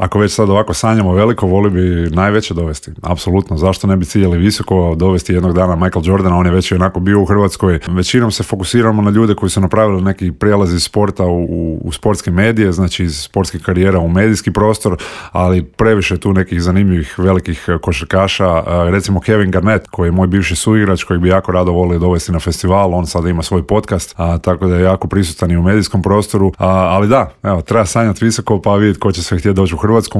ako već sad ovako sanjamo veliko, voli bi najveće dovesti. Apsolutno, zašto ne bi ciljali visoko, dovesti jednog dana Michael Jordana, on je već onako bio u Hrvatskoj. Većinom se fokusiramo na ljude koji su napravili neki prijelaz iz sporta u sportske medije, znači iz sportskih karijera u medijski prostor, ali previše tu nekih zanimljivih velikih košarkaša, recimo Kevin Garnett, koji je moj bivši suigrač, kojeg bi jako rado volio dovesti na festival, on sada ima svoj podcast, tako da je jako prisutan i u medijskom prostoru, ali da, evo, treba sanjati visoko pa vidjeti ko će sve htjeti doći u Hrvatsku.